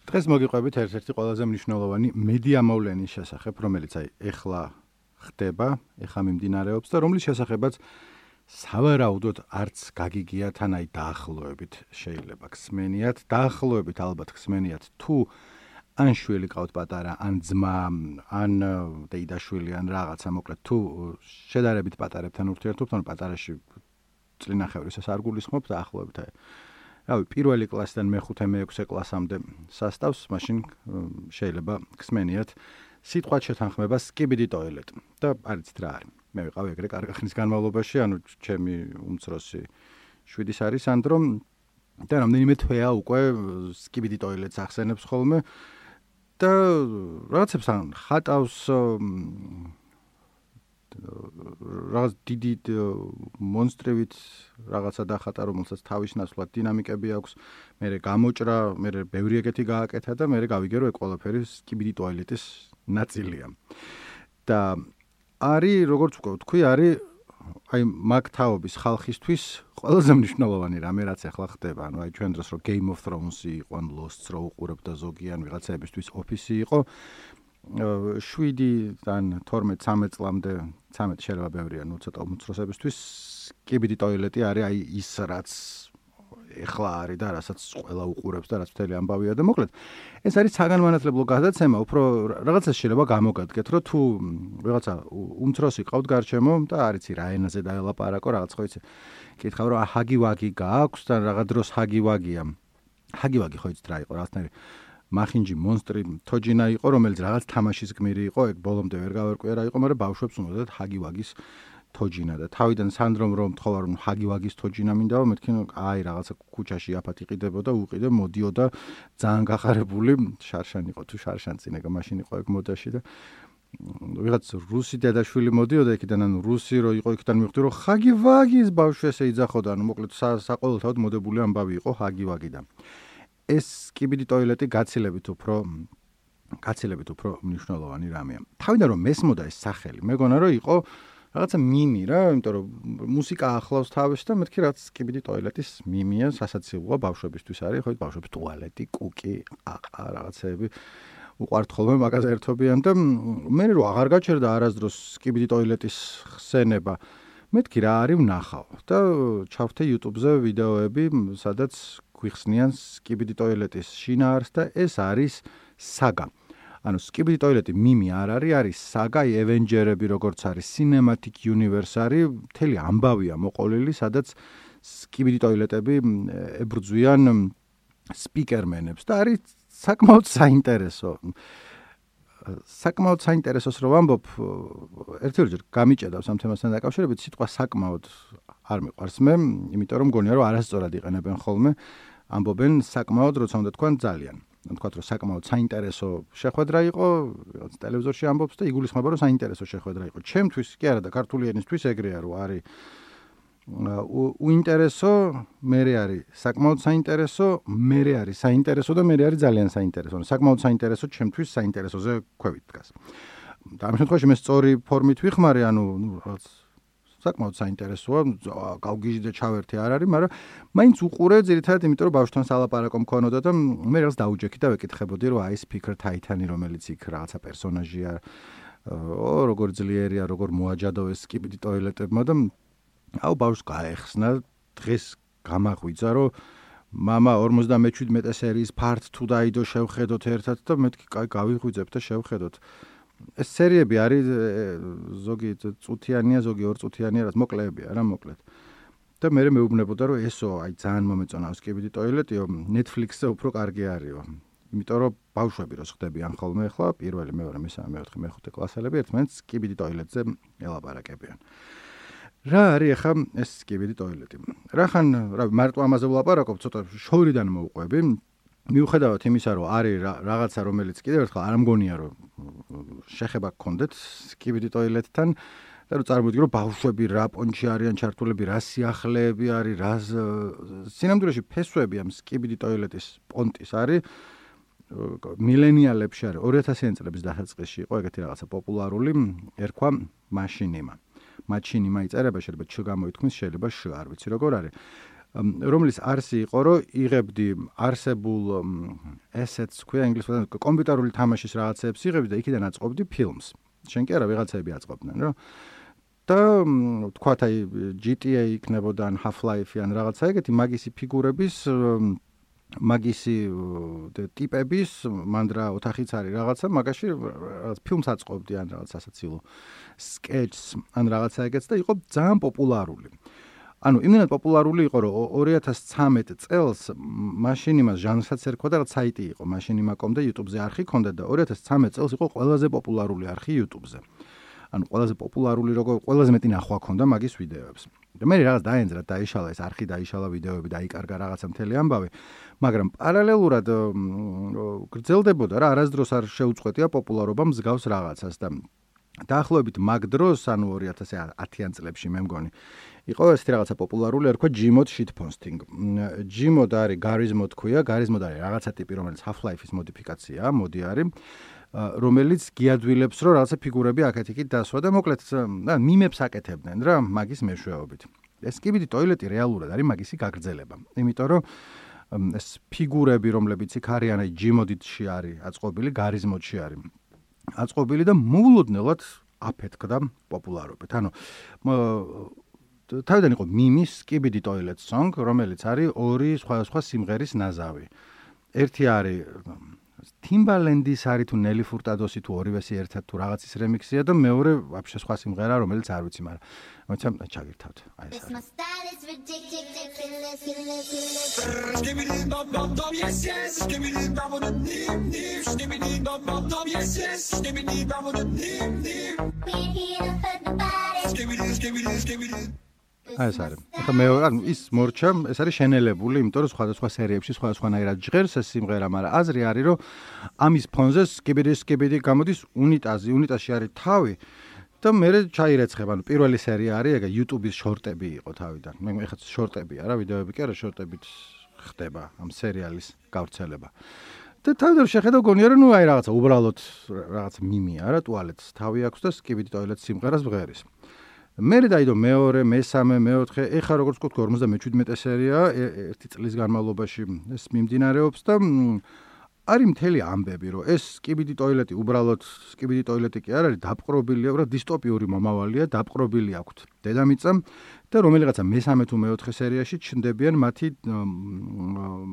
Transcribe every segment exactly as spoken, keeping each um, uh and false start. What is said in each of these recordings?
დღეს მოგიყვებით ერთ-ერთი ყველაზე მნიშვნელოვანი მედია მოვლენის შესახებ, რომელიც აი ეხლა ხდება, ეხლა მიმდინარეობს და რომლის შესახებაც სავარაუდოდ არც გაგიგიათ ან აი დაახლოებით შეიძლება ხსმენიათ, დაახლოებით ალბათ ხსმენიათ თუ ან შვილი ყავთ პატარა, ან ძმა, ან დეიდაშვილი, ან რაღაცა, მოკლედ თუ შედარებით პატარებთან ურთიერთობთ, ან პატარაში წლინახევრის ეს არ გულისხმობ დაახლოებით აი რავი, პირველი კლასიდან მეხუთე, მეექვსე კლასამდე სასწავს, მაშინ შეიძლება ხსმენიათ სიტყვათ შეთანხმება skibidi toilet და არიცით რა არის. მე ვიყავი ეგრე კარგი ხნის განმავლობაში, ანუ ჩემი უმცროსი შვიდის არის სანდრო და რამდენიმე თვეა უკვე skibidi toilet-ს ახსენებს ხოლმე და რაღაცებს ან ხატავს რაღაც დიდი მონსტრებით რაღაცა დახატა, რომელსაც თავის ნაცვლად დინამიკები აქვს, მერე გამოჭრა, მერე ბევრი ეგეთი გააკეთა და მერე გავიგე რომ ეგ ყველაფერი skibidi toilet-ის ნაწილია. და არის, როგორც ვთქვი, არის აი მაგ თაობის ხალხისთვის ყველაზე მნიშვნელოვანი რამე, რაც ახლა ხდება. ანუ აი ჩვენ დროს რო Game of Thrones-ი იყო, ან Lost-ს რო უყურებდა ზოგი, ან ვიღაცაებისთვის Office-ი იყო, შვიდიდან თორმეტ ცამეტ წლამდე, ცამეტი შეიძლება ბევრია, ნუ ცოტა უმცროსებისთვის skibidi toilet-ი არის აი ის, რაც ეხლა არის და რასაც ყველა უყურებს და რაც მთელი ამბავია და მოკლედ ეს არის საგანმანათლებლო გადაცემა, უფრო რაღაცას შეიძლება გამოგადგეთ, რომ თუ ვიღაცა უმცროსი ყავთ გარშემო და არ იცი რა ენაზე დაელაპარაკო, რაღაც ხო იცი, კითხავ რომ ჰაგი-ვაგი გააქვს და რაღაც დროს ჰაგი-ვაგია. ჰაგი-ვაგი ხო იცით რა იყო, რაღაცნაირი მახინჯი მონსტრი თოჯინა იყო, რომელიც რაღაც თამაშის გმირი იყო, ეგ ბოლომდე ვერ გავარკვია რა იყო, მაგრამ ბავშვებს უნდათ ჰაგი-ვაგის თოჯინა და თავიდან სანდრომ რომ თხოვარ რომ ჰაგი-ვაგის თოჯინა მინდაო, მეთქი აი რაღაცა ქუჩაში აფათი ყიდებოდა, უყიდე, მოდიოდა ძალიან გახარებული, შარშან იყო თუ შარშან წინეკა მაშინ იყო ეგ მოდაში და ვიღაც რუსი დედაშვილი მოდიოდა იქიდან, ანუ რუსი რო იყო იქიდან მივხვდი რომ ჰაგი-ვაგის ბავშვი ესე იძახოდა, ანუ მოკლედ საყოველთაოდ მოდებული ამბავი იყო ჰაგი-ვაგიდან. ეს skibidi toilet-ი გაცილებით უფრო გაცილებით უფრო მნიშვნელოვანი რამეა. თავიდან რომ მესმოდა ეს სახელი, მეგონა რომ იყო რაღაცა მიმი რა, იმიტომ რომ მუსიკა ახლავს თავს და მეთქი რაც skibidi toilet-ის მიმია, სასაცილოა ბავშვებისთვის არის, ხო, ბავშვების ტუალეტი, კუკი, ყაყა რაღაცები უყვართ ხოლმე მაგაზე ერთობიან და მე რო აღარ გაჩერდა არასდროს skibidi toilet-ის ხსენება, მეთქი რა არის ვნახავ და ჩავთე YouTube-ზე ვიდეოები, სადაც გვიხსნიან skibidi toilet-ის შინაარსს და ეს არის საგა. ანუ skibidi toilet-ი მიმი არ არის, არის საგა, Avengers-ები როგორც არის, Cinematic Universe არის, მთელი ამბავია მოყოლილი, სადაც skibidi toilet-ები ებრძვიან სპიკერმენებს და არის საკმაოდ საინტერესო. საკმაოდ საინტერესოს რო ვამბობ, ერთ-ერთჯერ გამიჭედავს ამ თემასთან დაკავშირებით, სიტყვა საკმაოდ არ მიყვარს მე, იმიტომ რომ მგონია რომ არასწორად იყენებენ ხოლმე, ამბობენ საკმაოდ, როცა უნდა თქვან ძალიან. თქვათ რომ საკმაოდ საინტერესო შეხვედრა იყო, რაღაც ტელევიზორში ამბობს და იგულისხმება რომ საინტერესო შეხვედრა იყო. ჩემთვის კი არა და ქართული ენისთვის ეგრეა რომ არის უინტერესო, მერე არის საკმაოდ საინტერესო, მერე არის საინტერესო და მერე არის ძალიან საინტერესო. საკმაოდ საინტერესო ჩემთვის საინტერესოზე ქვევით დგას. და ამ შემთხვევაში მე სწორი ფორმით ვიხმარე, ანუ ნუ რაღაც საკმაოდ საინტერესოა, გავგიჟდე ჩავერთე არ არის, მაგრამ მაინც უყურე ძირითადად იმიტომ რომ ბავშვთან სალაპარაკო მქონოდა და მე რაღაც დაუჯექი და ვეკითხებოდი რომ აი Speaker Titan-ი რომელიც იქ რაღაცა პერსონაჟია, ო როგორ ძლიერია, როგორ მოაჯადოვეს skibidi toilet-ებმა და აუ ბავშვს გაეხსნა, დღეს გამაღვიძა რომ მამა ორმოცდამეჩვიდმეტე სერიის part two დაიდო შევხედოთ ერთად და მეთქი კაი გავიღვიძებ და შევხედოთ. ეს სერიები არის ზოგი წუთიანია, ზოგი ორ წუთიანია, რაც მოკლეებია რა მოკლედ. და მე მეუბნებოდა რომ ესო აი ძალიან მომეწონა skibidi toilet-იო, Netflix-ზე უფრო კარგი არისო. იმიტომ რომ ბავშვები როს ხდებიან ხოლმე ახლა, პირველი, მეორე, მესამე, მეოთხე, მეხუთე კლასელები ერთმანეთს skibidi toilet-ზე ელაპარაკებიან. რა არის ახლა ეს skibidi toilet-ი? რახან, რა მარტო ამაზე ვლაპარაკობ, ცოტა შორიდან მოვყვები. მიუხედავად იმისა, რომ არის რაღაცა, რომელიც კიდევ ერთხელ არ მგონია, რომ შეხება გქონდეთ skibidi toilet-თან და რომ წარმოვიდგინო, რომ ბავშვები რა პონჩი არიან ჩართულები, რა სიახლეები არის, რა სინამდვილეში ფესვები ამ skibidi toilet-ის პონტის არის მილენიალებში არის ორი ათასიანი წლების დასაწყისში იყო ეგეთი რაღაცა პოპულარული, ერქვა მაშინიმა. მაჩინიმა იწერება, შეიძლება ჩ გამოითქმის, შეიძლება შ, არ ვიცი როგორ არის. რომლის არსი იყო, რომ იღებდი არსებულ assets, ქვია ინგლისურად, კომპიუტერული თამაშის რაღაცებს იღებდი და იქიდან აწყობდი ფილმს. შენ კი არა, ვიღაცები აწყობდნენ, რა. და თქვათ აი ჯი ტი ეი იქნებოდა ან Half-Life ან რაღაცა ეგეთი მაგისი ფიგურების მაგისი ტიპების მანდრა ოთახიც არის რაღაცა მაგაში რაღაც ფილმს აწყობდი ან რაღაც ასაცილო sketch ან რაღაცა ეგეც და იყო ძალიან პოპულარული. ანუ იმდენად პოპულარული იყო რომ ორი ათას ცხრამეტ წელს მაშინ იმას ჟანრსაც ერქვა და რაღაც საიტი იყო მაშინ იმაკომდა YouTube-ზე არხი ქონდა და ორი ათას ცხრამეტ წელს იყო ყველაზე პოპულარული არხი YouTube-ზე. ანუ ყველაზე პოპულარული როგორ ყველაზე მეტი ნახვა ქონდა მაგის ვიდეოებს. და მე რაღაც დაენძრა დაიშალა ეს არხი დაიშალა ვიდეოები დაიკარგა რაღაცა მთელი ამბავი. მაგრამ პარალელურად გრძელდებოდა რა არასდროს არ შეუწყვეტია პოპულარობა მსგავს რაღაცას და დაახლოებით მაგ დროს ანუ ორი ათას ათიან წლებში მე მგონი იყო ესეთი რაღაცა პოპულარული ერქვა Gmod shitposting. Gmod არის Garizmo თქვია, Garizmo არის რაღაცა ტიპი რომელიც Half-Life-ის მოდიფიკაციაა, მოდი არის რომელიც გიადვილებს რომ რაღაცა ფიგურები აქეთ-იქით დასვა და მოკლედ მიმებს აკეთებდნენ რა მაგის მეშვეობით. ეს კიბიდი ტოილეტი რეალურად არის მაგისი გაგრძელება. იმიტომ რომ ეს ფიგურები რომლებიც იქ არიან აი Gmod-ში არის აწყობილი, Garizmo-ში არის აწყობილი და მოულოდნელად აფეთქდა პოპულარობით. ანუ თავიდან იყო მიმის Skibidi Toilet Song, რომელიც არის ორი სხვადასხვა სიმღერის ნაზავი. ერთი არის Timbaland-ის არის თუ Nelly Furtado-ი თუ ორივესი ერთად თუ რაღაცის რემიქსია და მეორე ვაფშე სხვა სიმღერა, რომელიც არ ვიცი, მაგრამ მოიცა ჩაგირთავთ. აი ეს არის. აი ეს არის. ახლა მე ანუ ის მორჩა, ეს არის შენელებული, იმიტომ რომ სხვადასხვა სერიებში სხვადასხვანაირად ჟღერს ეს სიმღერა, მაგრამ აზრი არის, რომ ამის ფონზე Skibidi Skibidi გამოდის უნიტაზი, უნიტაზში არის თავი და მე ჩაირეცხება, ანუ პირველი სერია არის, ეგა YouTube-ის შორტები იყო თავიდან. მე ეხლა შორტებია რა, ვიდეოები კი არა, შორტებით ხდება ამ სერიალის გავრცელება. და თავიდან შეხედა გონია რომ ნუ აი რაღაცა უბრალოდ რაღაცა მიმია რა, ტუალეტს თავი აქვს და Skibidi Toilet სიმღერას ვღერის. მე დაიდო მეორე, მესამე, მეოთხე, ეხა როგორც ვთქვი ორმოცდამეჩვიდმეტე სერია ერთი წლის განმავლობაში ეს მიმდინარეობს და არის მთელი ამბები, რომ ეს Skibidi Toilet-ი უბრალოდ Skibidi Toilet-ი კი არ არის, დაპყრობილია, უბრალოდ დისტოპიური მომავალია, დაპყრობილი აქვთ დედამიწა და რომელიღაცა მესამე თუ მეოთხე სერიაში ჩნდებიან მათი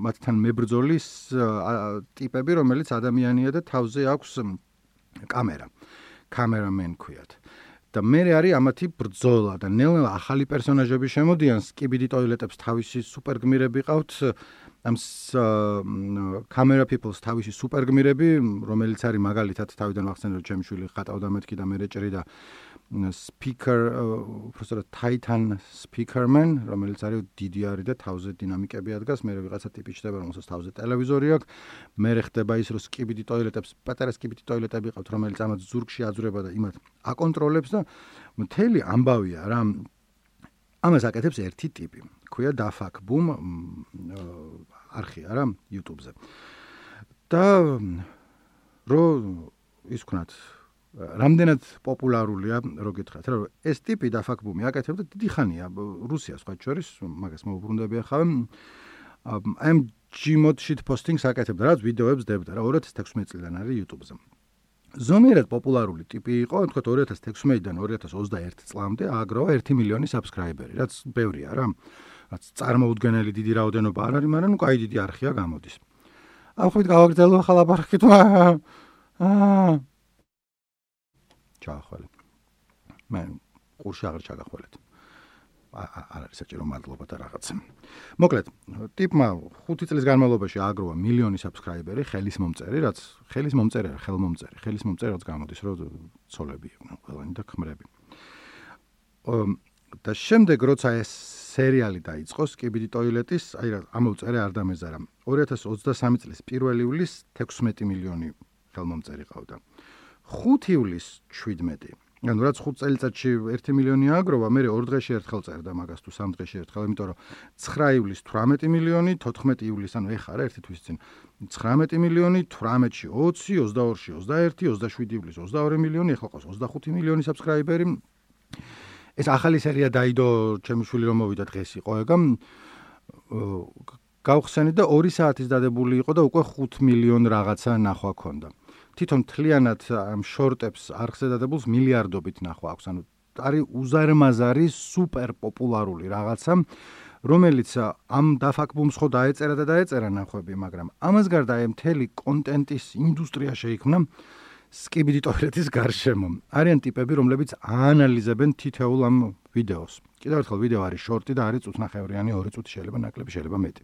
მათთან მებრძოლის ტიპები, რომელიც ადამიანია და თავზე აქვს კამერა. Cameraman ქვიათ. და მე არის ამათი ბრძოლა და ნელ-ნელა ახალი პერსონაჟები შემოდიან Skibidi Toilet-ებს თავისი სუპერგმირები ყავთ ამ camera people-ს თავისი სუპერგმირები რომელიც არის მაგალითად თავიდან ვახსენე რომ ჩემი შვილი ხატავდა მეთქი და მე რეჭრი და speaker უბრალოდ Titan Speakerman რომელიც არის დიდი არის და თავზე დინამიკები ადგას მე ვიღაცა ტიპი ჩდება რომელსაც თავზე ტელევიზორი აქვს მე ხდება ის რომ Skibidi Toilet-ებს პატარა Skibidi Toilet-ები ყავთ რომელიც ამათ ზურგში აძვრება და იმათ აკონტროლებს და მთელი ამბავია რა ამას აკეთებს ერთი ტიპი ქვია Dafak Boom არხი არა YouTube-ზე და რო ის ვქნათ რამდენად პოპულარულია რო გითხრათ რა ეს ტიპი Dafak Boom-ი აკეთებდა დიდი ხანია რუსიას სხვა შორის მაგას მოუბრუნდები ახლა ამ Gmod shitposting-ს აკეთებდა რაც ვიდეოებს დებდა რა ორი ათას თექვსმეტ წლიდან არის YouTube-ზე ზომიერად პოპულარული ტიპი იყო თქვათ ორი ათას თექვსმეტიდან ორი ათას ოცდაერთი წლამდე აგროვა ერთი მილიონი subscriber-ი რაც ბევრია რა რაც წარმოუდგენელი დიდი რაოდენობა არ არის მაგრამ ნუ კაი დიდი არხია გამოდის ამ ხვით გავაგრძელო ახლა ლაპარაკი თუ აა ჩახვალე მე ყურში აღარ ჩაგახვალეთ არ არის საჭირო მადლობა და რაღაცა მოკლედ ტიპმა ხუთი წლის განმავლობაში აგროვა მილიონი subscriber-ი ხელის მომწერი რაც ხელის მომწერი არა ხელმომწერი ხელის მომწერი რაც გამოდის რომ ცოლები იყვნენ ყველანი და ქმრები და შემდეგ როცა ეს სერიალი დაიწყო Skibidi Toilet-ის აი რა ამოვწერე არ დამეზარა ორი ათას ოცდასამი წლის პირველი ივლისს თექვსმეტი მილიონი ხელმომწერი ყავდა ხუთი ივლისს შვიდმეტი ანუ რაც ხუთ წელიწადში ერთი მილიონი აგროვა მე ორ დღეში ერთხელ წერდა მაგას თუ სამ დღეში ერთხელ იმიტომ რომ ცხრა ივლისს თვრამეტი მილიონი თოთხმეტი ივლისს ანუ ეხა რა ერთი თვის წინ ცხრამეტი მილიონი თვრამეტში ოცი ოცდაორში ოცდაერთი ოცდაშვიდი ივლისს ოცდაორი მილიონი ეხლა ყავს ოცდახუთი მილიონი subscriber-ი ეს ახალი სერია დაიდო ჩემი შვილი რომ მოვიდა დღეს იყო ეგა გავხსენით და ორი საათის დადებული იყო და უკვე ხუთ მილიონ რაღაცა ნახვა ქონდა. თვითონ მთლიანად ამ შორტებს არხზე დადებულს მილიარდობით ნახვა აქვს. ანუ არის უზარმაზარი სუპერ პოპულარული რაღაცა, რომელიც ამ დაფაქბუმს ხო დაეწერა და დაეწერა ნახვები, მაგრამ ამას გარდა აი მთელი კონტენტის ინდუსტრია შეიქმნა skibidi toiletis გარშემო. არიან ტიპები, რომლებიც აანალიზებენ თითოეულ ამ ვიდეოს. კიდევ ერთხელ ვიდეო არის შორტი და არის წუთნახევრიანი, ორი წუთი შეიძლება ნაკლები, შეიძლება მეტი.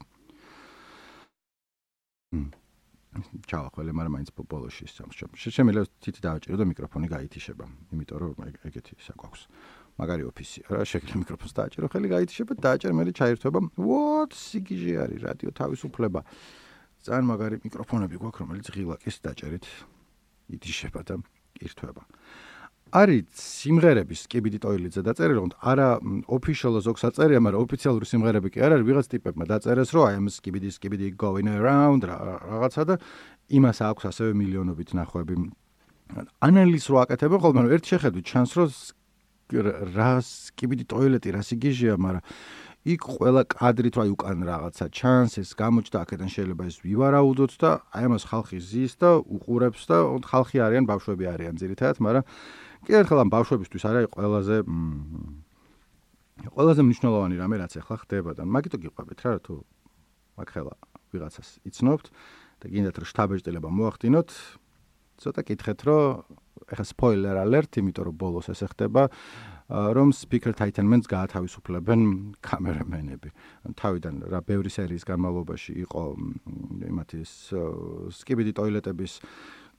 ჩავახველე, მაგრამ მაინც ბოლოში სამშობ. შემიძლია თითი დავაჭირო და მიკროფონი გაითიშება, იმიტომ რომ ეგეთი საკვაქვს. მაგარი ოფისი რა, შეიძლება მიკროფონს დააჭირო, ხელი გაითიშება, დააჭერ, მე ჩაირთვება. What სიგიჟე არის რადიო თავისუფლება. ძალიან მაგარი მიკროფონები გვაქვს, რომელიც ღილაკის დაჭერით ითიშება და ირთვება. არის სიმღერების skibidi toiletზე დაწერილი, რომ არა official ზოგს აწერია, მაგრამ ოფიციალური სიმღერები კი არ არის, ვიღაც ტიპებმა დაწერეს, რომ I am skibidi skibidi going around რაღაცა და იმას აქვს ასევე მილიონობით ნახვები. ანალიზს რო აკეთებენ ხოლმე, რომ ერთ შეხედვით ჩანს, რომ რა skibidi toileti რა სიგიჟეა, მაგრამ იქ ყველა კადრით რა უკან რაღაცა ჩანს, ეს გამოჩნდა, აქედან შეიძლება ეს ვივარაუდოთ და აი ამას ხალხი ზის და უყურებს და ხალხი არიან, ბავშვები არიან ძირითადად, მაგრამ კიდევ ერთხელ ამ ბავშვებისთვის არის ყველაზე ყველაზე მნიშვნელოვანი რამე, რაც ახლა ხდება და მაგიტო გიყვებით რა, თუ მაგ ხელა ვიღაცას იცნობთ და გინდათ რომ შთაბეჭდილება მოახდინოთ, ცოტა კითხეთ, რომ ეხა spoiler alert, იმიტომ რომ ბოლოს ესე ხდება, რომ Speaker Titanmans გაათავისუფლებენ კამერამენები. თავიდან რა ბევრი სერიის განმავლობაში იყო იმათი skibidi toiletების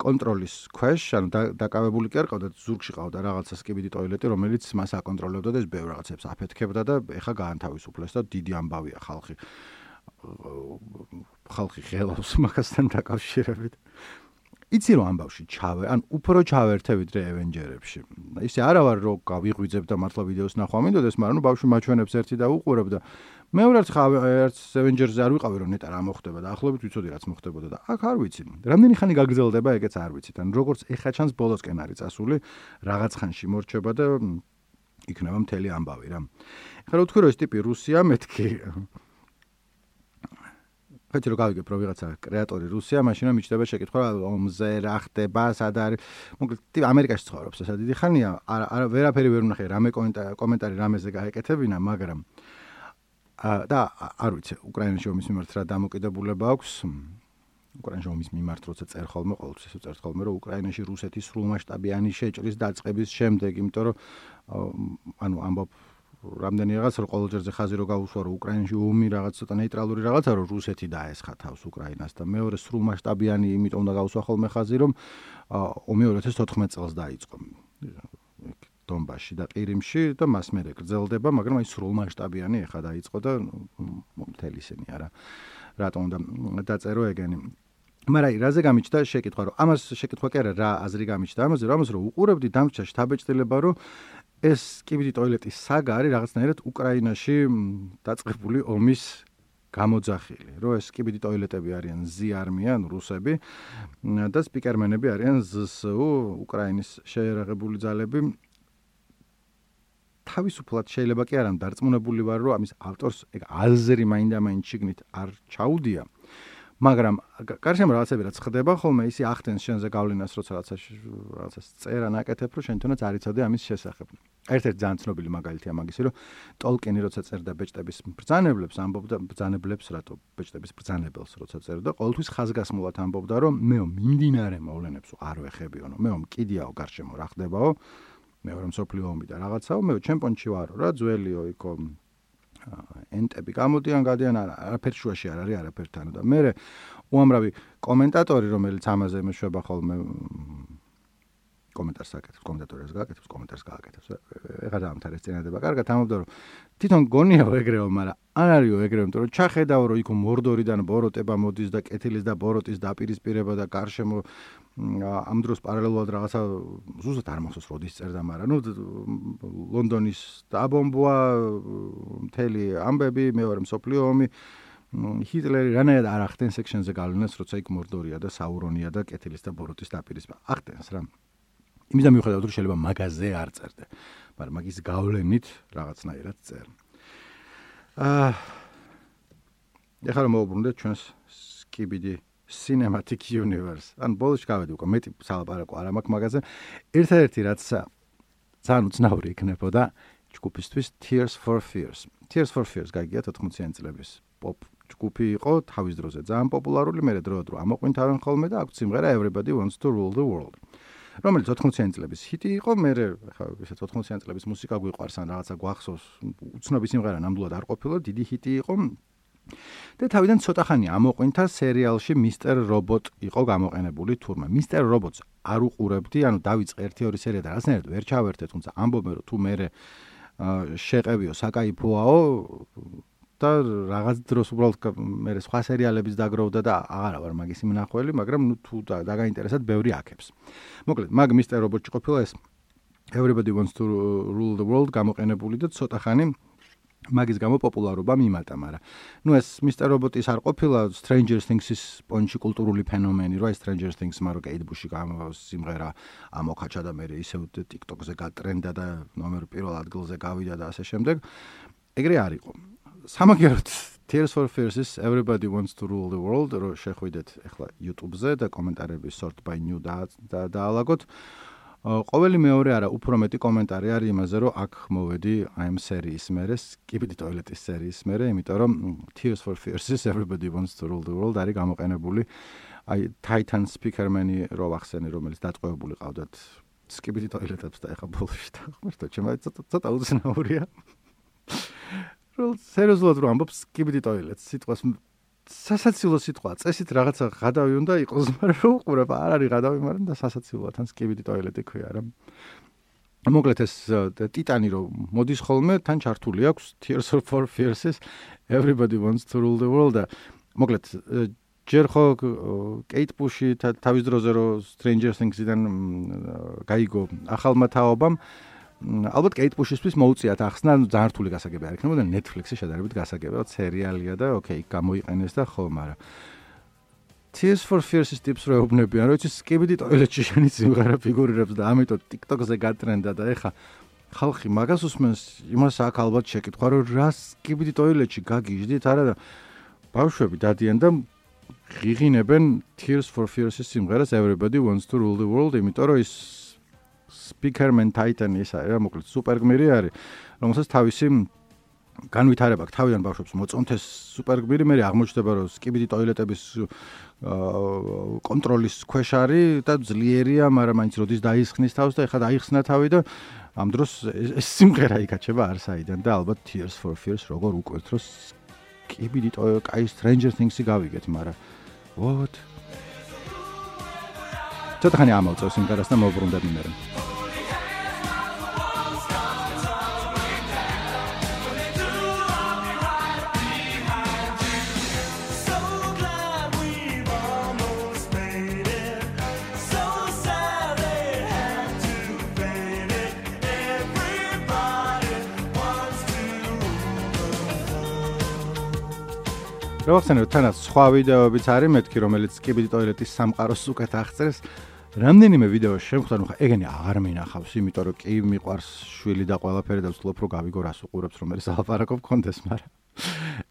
კონტროლის ქვეშ, ანუ დაკავებული კი არ ყავდა, ზურგში ყავდა რაღაცა skibidi toileti, რომელიც მას აკონტროლებდა და ეს ბევრ რაღაცებს აფეთქებდა და ეხა გაათავისუფლეს და დიდი ამბავია ხალხი. ხალხი ღელავს მაგასთან დაკავშირებით. იცი რომ ამბავში ჩავე, ან უფრო ჩავერთე ვიდრე Avengers-ებში. ისე არა ვარ რომ გავიღვიძებ და მართლა ვიდეოს ნახვა მინდოდეს, მაგრამ ნუ ბავშვი მაჩვენებს ერთი და უყურებ და მეორეც ერთ Avengers-ზე არ ვიყავი რომ ნეტა რა მოხდება და ახლობით ვიცოდი რაც მოხდებოდა და აქ არ ვიცი. რამდენი ხანი გაგრძელდება, ეგეც არ ვიცით. ან როგორც ეხა ჩანს ბოლოსკენ არის წასული, რაღაც ხანში მორჩება და იქნება მთელი ამბავი რა. ეხლა რო თქვი რომ ეს ტიპი რუსია, მეთქი ხეთი რო გავიგებ რომ ვიღაცა კრეატორი რუსია, მაშინ რომ მიჩნდება შეკითხვა ომზე რა ხდება, სად არის. მოკლედ ამერიკაში ცხოვრობს ესა დიდი ხანია, არა ვერაფერი ვერ ვნახე, რამე კომენტარი რამეზე გაეკეთებინა, მაგრამ და არ ვიცი, უკრაინაში ომის მიმართ რა დამოკიდებულება აქვს. უკრაინაში ომის მიმართ როცა წერ ხოლმე, ყოველთვის ესე წერ ხოლმე, რომ უკრაინაში რუსეთის სრულმასშტაბიანი შეჭრის დაწყების შემდეგ, იმიტომ რომ ანუ ამბობ რამდენი რაღაც რომ ყოველ ჯერზე ხაზი რო გაუსვა რომ უკრაინაში ომი რაღაც ცოტა ნეიტრალური რაღაცა რომ რუსეთი დაესხა თავს უკრაინას და მეორე სრულმასშტაბიანი იმიტომ უნდა გაუსვა ხოლმე ხაზი რომ ომი ორი ათას თოთხმეტ წელს დაიწყო დონბასში და ყირიმში და მას მერე გრძელდება, მაგრამ აი სრულმასშტაბიანი ეხა დაიწყო და მთელი ისინი არა რატომ უნდა დაწერო ეგენი. მაგრამ აი რაზე გამიჩნდა შეკითხვა რომ ამას შეკითხვა კი არა რა აზრი გამიჩნდა ამაზე რომ ამას რომ უყურებდი დამრჩა შთაბეჭდილება რომ ეს skibidi toileti საგა არის რაღაცნაირად უკრაინაში დაწყებული ომის გამოძახილი, რომ ეს skibidi toiletები არიან ზი-არმია, ანუ რუსები და სპიკერმენები არიან ზ-სუ, უკრაინის შეერაღებული ძალები. თავისუფლად შეიძლება კი არა დარწმუნებული ვარ, რომ ამის ავტორს ეგ აზრი მაინდა-მაინც შიგნით არ ჩაუდია. მაგრამ გარშემო რაღაცები რაც ხდება ხოლმე ისი ახდენს შენზე გავლენას როცა რაღაცა რაღაცას წერა ნაკეთებ რომ შენ თუნდაც არ იცოდე ამის შესახებ. ერთ-ერთი ძალიან ცნობილი მაგალითია მაგისი რომ ტოლკინი როცა წერდა ბეჭდების ბრძანებლებს ამბობდა ბრძანებლებს რატო ბეჭდების ბრძანებელს როცა წერდა ყოველთვის ხაზგასმულად ამბობდა რომ მეო მიმდინარე მოვლენებს არ ვეხებიო, მეო მკიდიაო გარშემო რა ხდებაო, მეორე მსოფლიო ომი და რაღაცაო, მეო ჩემპიონში ვარო რა, ძველიო იქო ენტები გამოდიან, გადიან, არაფერ შუაში არ არის არაფერთან და მე უამრავი კომენტატორი რომელიც ამაზე მეშვება ხოლმე კომენტარს აკეთებს, კომენტატორებს გააკეთებს, კომენტარს გააკეთებს. ეხლა დაამთავრეს წინადება. კარგად ამბობდა რომ თვითონ გონიაო ეგრეო, მაგრამ არ არისო ეგრეო, იმიტომ რომ ჩახედავ რომ იქ მორდორიდან ბოროტება მოდის და კეთილის და ბოროტის დაპირისპირება და გარშემო ამ დროს პარალელურად რაღაცა ზუსტად არ მახსოვს როდის წერდა, მაგრამ ნუ ლონდონის დაბომბვა, მთელი ამბები, მეორე მსოფლიო ომი, ჰიტლერი რანაირად არ ახდენს სექშენზე გავლენას, როცა იქ მორდორია და საურონია და კეთილის და ბოროტის დაპირისპირება. ახდენს რა. იმისდა მიუხედავად რომ შეიძლება მაგაზე არ წერდე, მაგრამ მაგის გავლენით რაღაცნაირად წერ. აა ეხლა რომ მოვუბრუნდეთ ჩვენს Skibidi Cinematic Universe. ან ბოლოს გავედი უკვე მეტი სალაპარაკო არ მაქვს მაგაზე. ერთადერთი რაც ძალიან უცნაური იქნებოდა ჯგუფისთვის Tears for Fears. Tears for Fears გაგიგია თოთხმოციანი წლების pop ჯგუფი იყო თავის დროზე ძალიან პოპულარული, მერე დროდადრო ამოყვინთავენ ხოლმე და აქვს სიმღერა Everybody Wants to Rule the World. რომელიც თოთხმოციანი წლების ჰიტი იყო, მერე ხა ესე თოთხმოციანი წლების მუსიკა გვიყვარს ან რაღაცა გვახსოვს, უცნობი სიმღერა ნამდვილად არ ყოფილა, დიდი ჰიტი იყო. და თავიდან ცოტა ხანი ამოყვინთა სერიალში Mister Robot იყო გამოყენებული თურმე. Mister Robots არ უყურებდი, ანუ დავიწყე ერთი ორი სერია და რაღაცნაირად ვერ ჩავერთე, თუმცა ამბობენ რომ თუ მე შეყევიო საკაიფოაო და რაღაც დროს უბრალოდ მე სხვა სერიალების დაგროვდა და აღარა ვარ მაგის მნახველი, მაგრამ ნუ თუ დაგაინტერესად ბევრი აქებს. მოკლედ, მაგ Mister Robot-ში ყოფილა ეს Everybody Wants to Rule the World გამოყენებული და ცოტა ხანი მაგის გამო პოპულარობა მიმატა, მაგრამ ნუ ეს Mister Robot-ის არ ყოფილა Stranger Things-ის პონჩი კულტურული ფენომენი, რა Stranger Things-მა რო Kate Bush-ი სიმღერა ამოქაჩა და მე ისევ TikTok-ზე გატრენდა და ნომერ პირველ ადგილზე გავიდა და ასე შემდეგ. ეგრე არ იყო. სამაგერად Tears for Fears-ის Everybody Wants to Rule the World რო შეხვიდეთ ახლა YouTube-ზე და კომენტარები sort by new და დაალაგოთ. ყოველი მეორე არა უფრო მეტი კომენტარი არის იმაზე, რომ აქ მოვედი აი ამ სერიის მერე, Skibidi Toilet-ის სერიის მერე, იმიტომ რომ Tears for Fears-ის Everybody Wants to Rule the World არის გამოყენებული აი Titan Speakerman-ი რო ვახსენე, რომელიც დატყვევებული ყავდათ Skibidi Toilet-ებს და ეხა ბოლოში დახმარდა, ჩემი ცოტა ცოტა უცნაურია. რო სერიოზულად რო ამბობ Skibidi Toilet-ს სიტყვას სასაცილო სიტყვა, წესით რაღაცა ღადავი უნდა იყოს, მაგრამ რო უყურებ არ არის ღადავი, მაგრამ და სასაცილოა თან Skibidi Toilet-ი ქვია რა. მოკლედ ეს ტიტანი რო მოდის ხოლმე, თან ჩართული აქვს Tears for Fears-ის Everybody Wants to Rule the World და მოკლედ ჯერ ხო Kate Bush-ი თავის დროზე რო Stranger Things-დან გაიგო ახალმა თაობამ ალბათ Kate Bush-ისთვის მოუწიათ ახსნა, ძალიან რთული გასაგები არ იქნებოდა Netflix-ში შედარებით გასაგებია, სერიალია და ოკეი, გამოიყენეს და ხო, მაგრამ Tears for Fears-ის ტიპს რო ეუბნებიან, რომ იცი Skibidi Toilet-ში შენი სიმღერა ფიგურირებს და ამიტომ TikTok-ზე გატრენდა და ეხა ხალხი მაგას უსმენს, იმას აქ ალბათ შეკითხვა, რომ რა Skibidi Toilet-ში გაგიჟდით, არა და ბავშვები დადიან და ღიღინებენ Tears for Fears-ის სიმღერას Everybody Wants to Rule the World, იმიტომ რომ ის Speakerman Titan ის არის რა, მოკლედ სუპერგმირი არის, რომელსაც თავისი განვითარება აქვს, თავიდან ბავშვებს მოწონთეს სუპერგმირი, მე აღმოჩნდება, რომ Skibidi Toilet-ების კონტროლის ქვეშ არის და ძლიერია, მაგრამ მაინც როდის დაისხნის თავს და ეხლა დაიხსნა თავი და ამ დროს ეს სიმღერა იკაჩება არსაიდან და ალბათ Tears for Fears როგორ უკვეთ, რომ Skibidi Toilet, აი Stranger Things-ი გავიგეთ, მაგრამ what? ცოტა ხანი ამოვწევ სიმღერას და მოვბრუნდები მე. რო ახსენე, თანაც სხვა ვიდეოებიც არის მეთქი, რომელიც Skibidi Toilet-ის სამყაროს უკეთ აღწერს. რამდენიმე ვიდეო შემხვდა, ნუ ხა ეგენი აღარ მინახავს, იმიტომ რომ კი მიყვარს შვილი და ყველაფერი და ვცდილობ რომ გავიგო რას უყურებს, რომ მე სალაპარაკო მქონდეს, მაგრამ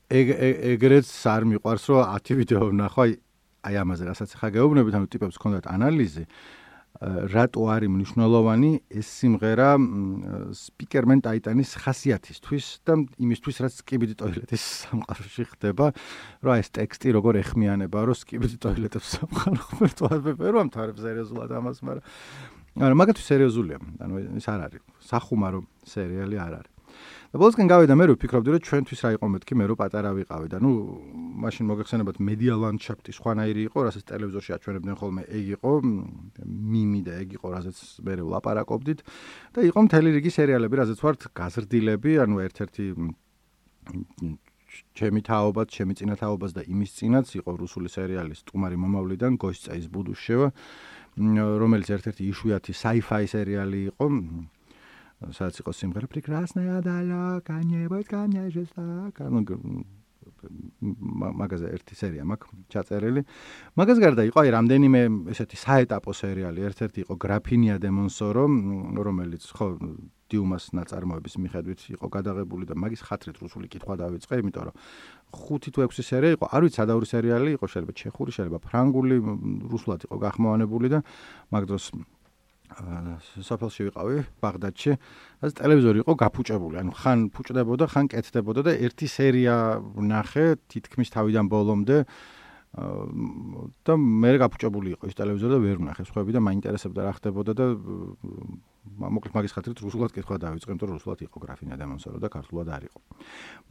ეგ ეგრეც არ მიყვარს რომ ათი ვიდეო ვნახვა აი ამაზე, რასაც ხა გეუბნებით, ანუ ტიპებს ჰქონდათ ანალიზი, რატო არის მნიშვნელოვანი ეს სიმღერა Speakerman Titan-ის ხასიათისთვის და იმისთვის, რაც Skibidi Toilet-ის სამყაროში ხდება, რომ ეს ტექსტი როგორ ეხმიანება, რომ Skibidi Toilet-ებს სამყარო ხმერთვად ვერ ვამთავრებ სერიოზულად ამას, მაგრამ არა, მაგათთვის სერიოზულია, ანუ ის არ არის, სახუმარო სერიალი არ არის. და ბოლოსკენ გავიდა მე რო ვფიქრობდი, რომ ჩვენთვის რა იყო მეთქი, მე რო პატარა ვიყავი და ნუ მაშინ მოგეხსენებათ media landscape-ი სხვანაირი იყო, რასაც ტელევიზორში აჩვენებდნენ ხოლმე, ეგ იყო მიმი და ეგ იყო, რასაც მე ვლაპარაკობდით და იყო მთელი რიგი სერიალები, რასაც ვართ გაზრდილები, ანუ ერთ-ერთი ჩემი თაობაც, ჩემი წინა თაობას და იმის წინაც იყო რუსული სერიალი სტუმარი მომავლიდან გოსტის ბუდუშევა, რომელიც ერთ-ერთი იშვიათი sci-fi სერიალი იყო. სადაც იყო სიმღერა Прекрасная дала, конец, конец, конец. მაგაზე ერთი სერია მაქვს ჩაწერილი. მაგას გარდა იყო აი რამდენიმე ესეთი საეტაპო სერიალი. ერთ-ერთი იყო გრაფინია დე მონსორო, რომელიც ხო დიუმას ნაწარმოების მიხედვით იყო გადაღებული და მაგის ხათრით რუსული კითხვა დავიწყე, იმიტომ რომ ხუთი თუ ექვსი სერია იყო, არ ვიცი სადაური სერიალი იყო, შეიძლება ჩეხური, შეიძლება ფრანგული, რუსულად იყო გახმოვანებული და მაგ დროს სოფელში ვიყავი, ბაღდადში, და ტელევიზორი იყო გაფუჭებული, ანუ ხან ფუჭდებოდა, ხან კეთდებოდა და ერთი სერია ვნახე თითქმის თავიდან ბოლომდე და მე გაფუჭებული იყო ის ტელევიზორი და ვერ ვნახე სხვები და მაინტერესებდა რა ხდებოდა და მოკლედ მაგის ხათრით რუსულად კითხვა დავიწყე, იმიტომ რომ რუსულად იყო გრაფინია დე მონსორო და ქართულად არ იყო.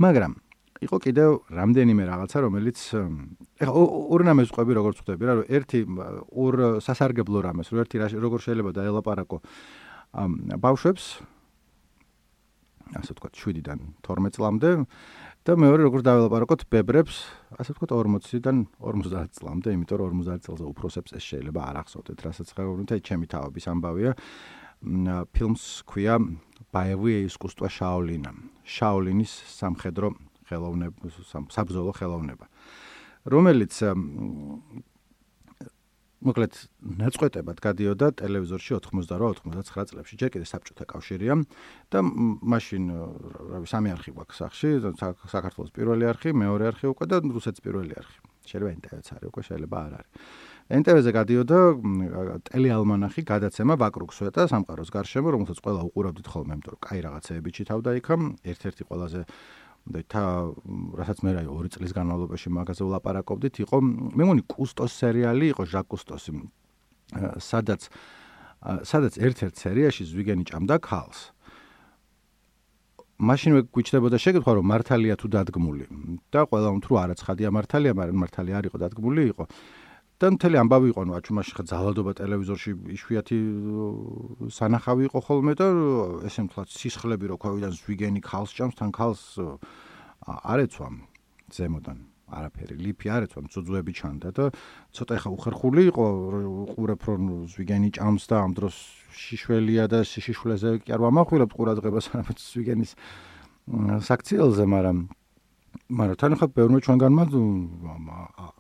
მაგრამ იყო კიდევ რამდენიმე რაღაცა, რომელიც ეხლა ორ რამეს ვყვები, როგორც ხვდები რა, რომ ერთი ორ სასარგებლო რამეს, რომ ერთი როგორ შეიძლება დაელაპარაკო ბავშვებს, ასე ვთქვათ, შვიდიდან თორმეტ წლამდე და მეორე როგორ დაელაპარაკოთ ბებრებს, ასე ვთქვათ, ორმოციდან ორმოცდაათ წლამდე, იმიტომ რომ ორმოცდაათ წელზე უფროსებს ეს შეიძლება არ ახსოვდეთ, რასაც ხაგობთ, აი ჩემი თავების ამბავია. ფილმს ქვია Боевые искусства Шаолина. შაოლინის სამხედრო ხელოვნება, საბრძოლო ხელოვნება, რომელიც მოკლედ ნაწყვეტებად გადიოდა ტელევიზორში ოთხმოცდაოთხ ოცდაათი წლებში, ჯერ კიდე საბჭოთა კავშირია და მაშინ რავი სამი არხი გვაქვს სახში, საქართველოს პირველი არხი, მეორე არხი უკვე და რუსეთის პირველი არხი. შეიძლება ენ ტე ვეც არის უკვე, შეიძლება არ არის. ენ ტე ვეზე გადიოდა ტელეალმანახი გადაცემა ვაკრუგსვეტა სამყაროს გარშემო, რომელსაც ყველა უყურავდით ხოლმე, იმიტომ რომ კაი რაღაცეები ჩითავდა იქა, ერთ-ერთი ყველაზე და თა რასაც მე რაი ორი წლის განმავლობაში მაგაზე ვლაპარაკობდით, იყო მე მგონი კუსტოს სერიალი იყო, ჟაკ კუსტოსი, სადაც სადაც ერთ-ერთ სერიაში ზვიგენი ჭამდა ქალს. მაშინვე გვიჩნდებოდა შეკითხვა, რომ მართალია თუ დადგმული და ყველა უმთრუ არაცხადია მართალია, მაგრამ მართალი არ იყო დადგმული იყო. და მთელი ამბავი იყო, ნუ აჩუმაში ხა ძალადობა ტელევიზორში იშვიათი სანახავი იყო ხოლმე და ესე მთლად სისხლები რო ქვევიდან ზვიგენი ქალს ჭამს, თან ქალს არ ეცვა ზემოდან არაფერი, ლიფი არ ეცვა, მწუძუები ჩანდა და ცოტა ხა უხერხული იყო, უყურებ რომ ზვიგენი ჭამს და ამ დროს შიშველია და შიშვლეზე კი არ ვამახვილებ ყურადღებას არამედ ზვიგენის საქციელზე, მაგრამ მაგრამ თან ხა ბევრმა ჩვენგანმა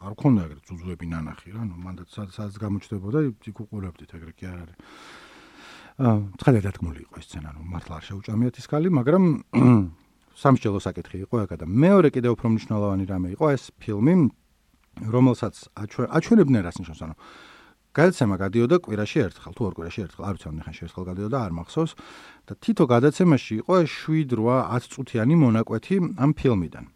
არ ქონდა ეგრე ძუძუები ნანახი რა, ნუ მანდ სადაც გამოჩნდებოდა იქ უყურებდით, ეგრე კი არ არის. აა ცხადად დადგმული იყო ეს სცენა, ნუ მართლა არ შეუჭამიათ ის ქალი, მაგრამ სამსჯელო საკითხი იყო ეგა და მეორე კიდევ უფრო მნიშვნელოვანი რამე იყო ეს ფილმი, რომელსაც აჩვენებდნენ რას ნიშნავს, ანუ გადაცემა გადიოდა კვირაში ერთხელ, თუ ორ კვირაში ერთხელ, არ ვიცი ამ ხანში ერთხელ გადიოდა, არ მახსოვს და თითო გადაცემაში იყო შვიდ რვა ათ წუთიანი მონაკვეთი ამ ფილმიდან.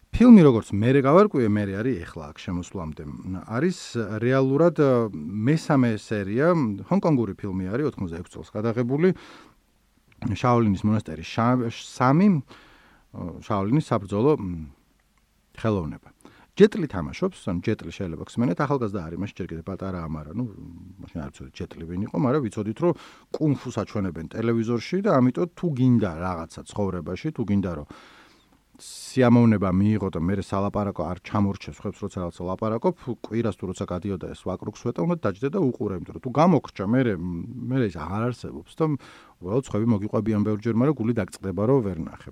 ფილმი როგორც მერე გავარკვიე, მერე არის ეხლა აქ შემოსვლამდე. არის რეალურად მესამე სერია, ჰონკონგური ფილმი არის ოთხმოცდაექვსი წელს გადაღებული. შაოლინის მონასტერი სამი, შაოლინის საბრძოლო ხელოვნება. ჯეტლი თამაშობს, ანუ ჯეტლი შეიძლება გსმენეთ, ახალგაზრდა არის, მაშინ ჯერ კიდე პატარა ამარა, ნუ მაშინ არ ვიცოდი ჯეტლი ვინ იყო, მაგრამ ვიცოდით რომ კუნფუს აჩვენებენ ტელევიზორში და ამიტომ თუ გინდა რაღაცა ცხოვრებაში, თუ გინდა რომ სიამოვნება მიიღო და მე სალაპარაკო არ ჩამორჩეს ხებს როცა რაღაცა ლაპარაკობ, კვირას თუ როცა გადიოდა ეს ვაკრუგსვეტა, უნდა დაჯდე და უყურე, იმიტომ რომ თუ გამოგრჩა, მე მე ის აღარ არსებობს და უბრალოდ ხვები მოგიყვებიან ბევრჯერ, მაგრამ გული დაგწყდება რომ ვერ ნახე.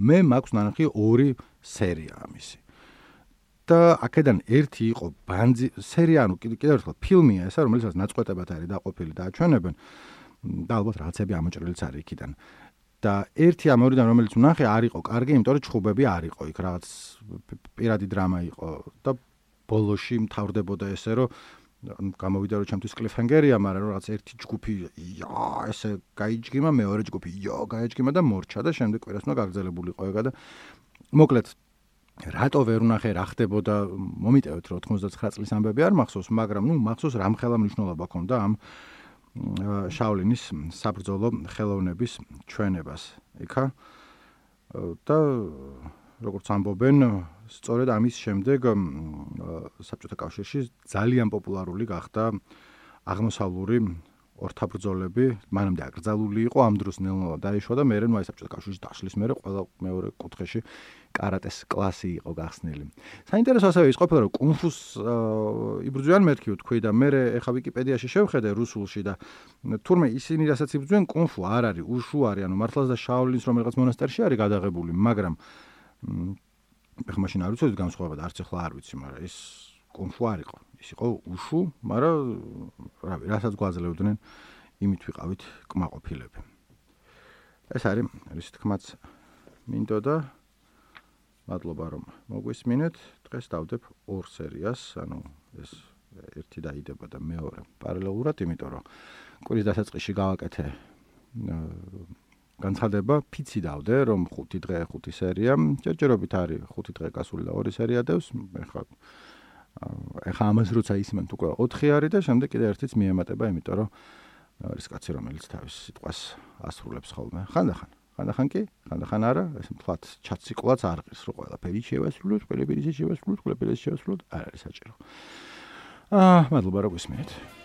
მე მაქვს ნანახი ორი სერია ამისი. და აქედან ერთი იყო ბანძი სერია, ანუ კიდევ ერთხელ ფილმია ესა, რომელსაც ნაწყვეტებად არის დაყოფილი და აჩვენებენ და ალბათ რაღაცები ამოჭრილიც არის იქიდან. და ერთი ამ ორიდან რომელიც ვნახე არ იყო კარგი, იმიტომ რომ ჩხუბები არ იყო იქ, რაღაც პირადი დრამა იყო და ბოლოში მთავრდებოდა ესე, რომ გამოვიდა რომ ჩემთვის კლიფჰენგერია, მაგრამ რაღაც ერთი ჯგუფი ია ესე გაიჯგიმა, მეორე ჯგუფი ია გაიჯგიმა და მორჩა და შემდეგ კვირას უნდა გაგრძელებულიყო ეგა და მოკლედ რატო ვერ ვნახე რა ხდებოდა, მომიტევეთ რომ ოთხმოცდათრიათი წლის ამბები არ მახსოვს, მაგრამ ნუ მახსოვს რამხელა მნიშვნელობა ჰქონდა ამ შაოლინის საბრძოლო ხელოვნების ჩვენებას იქა და როგორც ამბობენ, სწორედ ამის შემდეგ საბჭოთა კავშირში ძალიან პოპულარული გახდა აღმოსავლური ორთაბრძოლები, მანამდე აკრძალული იყო, ამ დროს ნელ-ნელა დაიშვა და მერე ნუ აი საბჭოთა კავშირში დაშლის მერე ყველა მეორე კუთხეში კარატეს კლასი იყო გახსნილი. საინტერესო ასევე ის ყოფილა, რომ კუნფუს იბრძვიან მეთქი ვთქვი და მერე ეხა ვიკიპედიაში შევხედე რუსულში და თურმე ისინი რასაც იბრძვიან კუნფუ არ არის, უშუ არის, ანუ მართლაც და შაოლინს რომ რაღაც მონასტერში არის გადაღებული, მაგრამ ეხლა მაშინ არ ვიცოდი განსხვავება და არც ახლა არ ვიცი, მაგრამ ის კონშუ არ იყო. ის იყო უშუ, მაგრამ რავი, რასაც გვაძლევდნენ, იმით ვიყავით კმაყოფილები. ეს არის ის თქმაც მინდოდა. მადლობა რომ მოგვისმინეთ. დღეს დავდებ ორ სერიას, ანუ ეს ერთი დაიდება და მეორე პარალელურად, იმიტომ რომ კვირის დასაწყისში გავაკეთე განცხადება, ფიცი დავდე, რომ ხუთი დღე ხუთი სერია, ჯერჯერობით არის ხუთი დღე გასული და ორი სერია დევს. ეხლა ეხლა ამას როცა ისმენთ უკვე ოთხი არის და შემდეგ კიდე ერთიც მიემატება, იმიტომ რომ არის კაცი, რომელიც თავის სიტყვას ასრულებს ხოლმე. ხანდახან ხანდახან კი, ხანდახან არა, ეს მთლად ჩაციკვლაც არ ღირს, რომ ყველაფერი შევასრულოთ, ყველაფერი შევასრულოთ, ყველაფერი შევასრულოთ, არ არის საჭირო. აა, მადლობა რომ გვისმენთ.